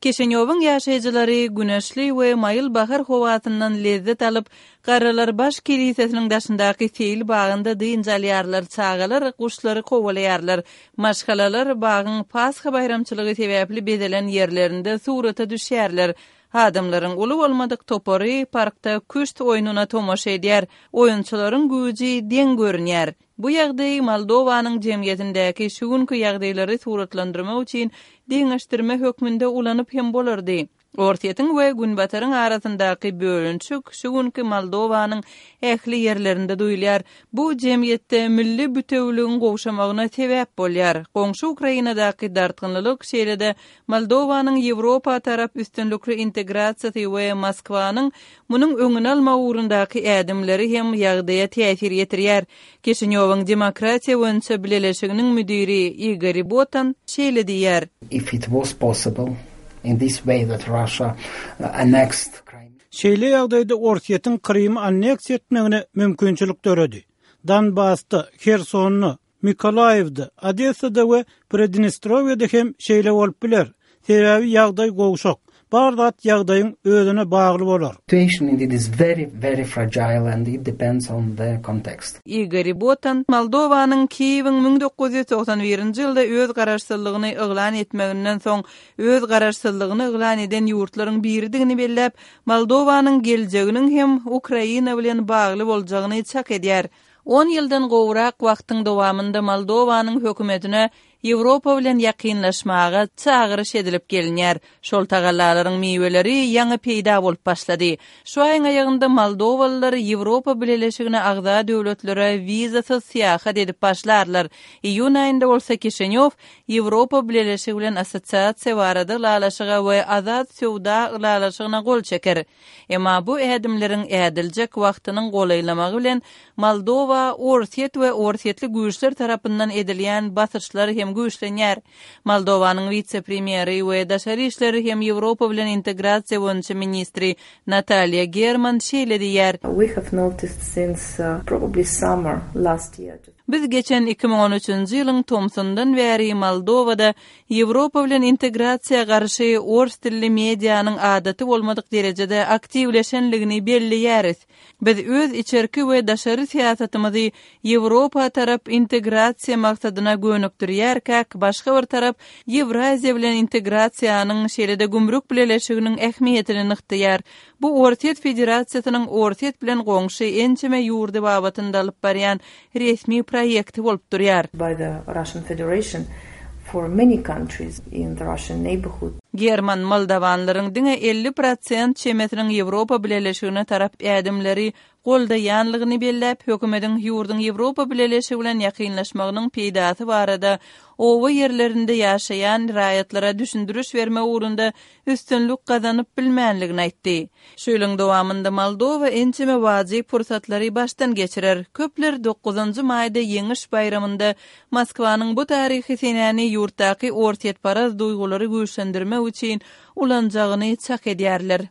Kişinýowyň ýaşaýjylary güneşli we maýyl bahar howasyndan lezzet alyp, Garrylar baş kelisesiniň daşyndaky seýil bagynda dynç alýarlar, çagalar guşlary kowalaýarlar, maşgalalar bagyň Pasha baýramçylygy sebäpli bezelen ýerlerinde surata düşýärler. Adamlaryň uly bolmadyk topary parkda küşt oýnuna tomaşa edýär, oýunçylaryň güýji deň görünýär. Bu ýagdaý Moldowanyň jemgyýetindäki şu günki ýagdaýlary suratlandyrmak üçin deňeşdirme hökmünde ulanyp hem bolardy. Orsýetiň we Günbataryň arasyndaky bölünişik şu günki Moldowanyň ähli ýerlerinde duýulýar. Bu jemgyýetde milli bütewiligiň gowşamagyna sebäp bolýar. Goňşy Ukrainadaky dartgynlylyk, şeýle-de Moldowanyň Ýewropa tarap üstünlikli integrasiýasy we Moskwanyň munuň öňüni almak ugrundaky ädimleri hem ýagdaýa täsir ýetirýär. Kişinýowyň Demokratiýa boýunça bileleşiginiň müdiri Igor Botan şeýle diýýär. If it was possible in this way that Russia annexed Crimea. Şeýle ýagdaýda Orsýetiň Krymy anneksiýa etmegine mümkinçilik döredi. Donbasda, Hersonda, Mykolaýiwde, Odessada we Pridnestrowýede hem şeýle bolup biler. Sebäbi ýagdaý gowşak. Bar zat ýagdaýyň özüne bagly bolar. Situation indeed is very, very fragile and it depends on the context. Igor Botan, Moldowanyň Kiýewiň 1991-nji ýylda öz garaşsyzlygyny yglan etmeginden soň öz garaşsyzlygyny yglan eden ýurtlaryň biridigini belläp, Moldowanyň geljeginiň hem Ukraina bilen bagly boljagyny çak edýär. On ýyldan gowrak wagtyň dowamynda Moldowanyň hökümetine Ýewropa bilen ýakynlaşmaga çagyryş edilip gelinýär. Şol tagallalaryň miweleri ýaňy peýda bolup başlady. Şu aýyň aýagynda moldowalylar Ýewropa Bileleşigine agza döwletlere wizasyz syýahat edip başlarlar. Iýun aýynda bolsa Kişinýow Ýewropa Bileleşigi bilen Assosiasiýa barada ylalaşyga we Azat söwda ylalaşygyna gol çeker. Emma bu ädimleriň ädiljek wagtynyň golaýlamagy bilen Moldowa Orsýet we orsýetli güýçler tarapyndan edilýän basyşlar hem güýçlenýär. Moldowanyň wise-premýeri we daşary işler hem Ýewropa bilen integrasiýa boýunça ministri Nataliýa German şeýle diýýär. We have noticed since probably summer last year. Biz geçen 2013-nji ýylyň tomsundan bäri Moldowada Ýewropa bilen integrasiýa garşy ors dilli medianyň adaty bolmadyk derejede aktiwleşenligini belleýäris. Biz öz içerki we daşary syýasatymyzy Ýewropa tarap integrasiýa maksadyna gönükdirýärkäk, başga bir tarap Ýewraziýa bilen integrasiýanyň, şeýle-de gümrük bileleşiginiň ähmiýetini nygtaýar. Bu Orsýet Federasiýasynyň Orsýet bilen goňşy ençeme ýurdy babatynda alyp barýan resmi proýekti bolup durýar. By the Russian Federation for many countries in the Russian neighborhood. German moldawanlaryň diňe 50 prosent çemesiniň Ýewropa Bileleşigine tarap ädimleri goldaýanlygyny belläp, hökümetiň ýurduň Ýewropa Bileleşigi bilen ýakynlaşmagynyň peýdasy barada oba ýerlerinde ýaşaýan raýatlara düşündiriş bermek ugrunda üstünlik gazanyp bilmänligini aýtdy. Şu ýylyň dowamynda Moldowa ençeme wajyp pursatlary başdan geçirer. Köpler dokuzynjy maýda Ýeňiş baýramynda Moskwanyň bu taryhy senäni ýurtdaky orsýetparaz duýgulary güýçlendirmek üçin ulanjagyny çak edýärler.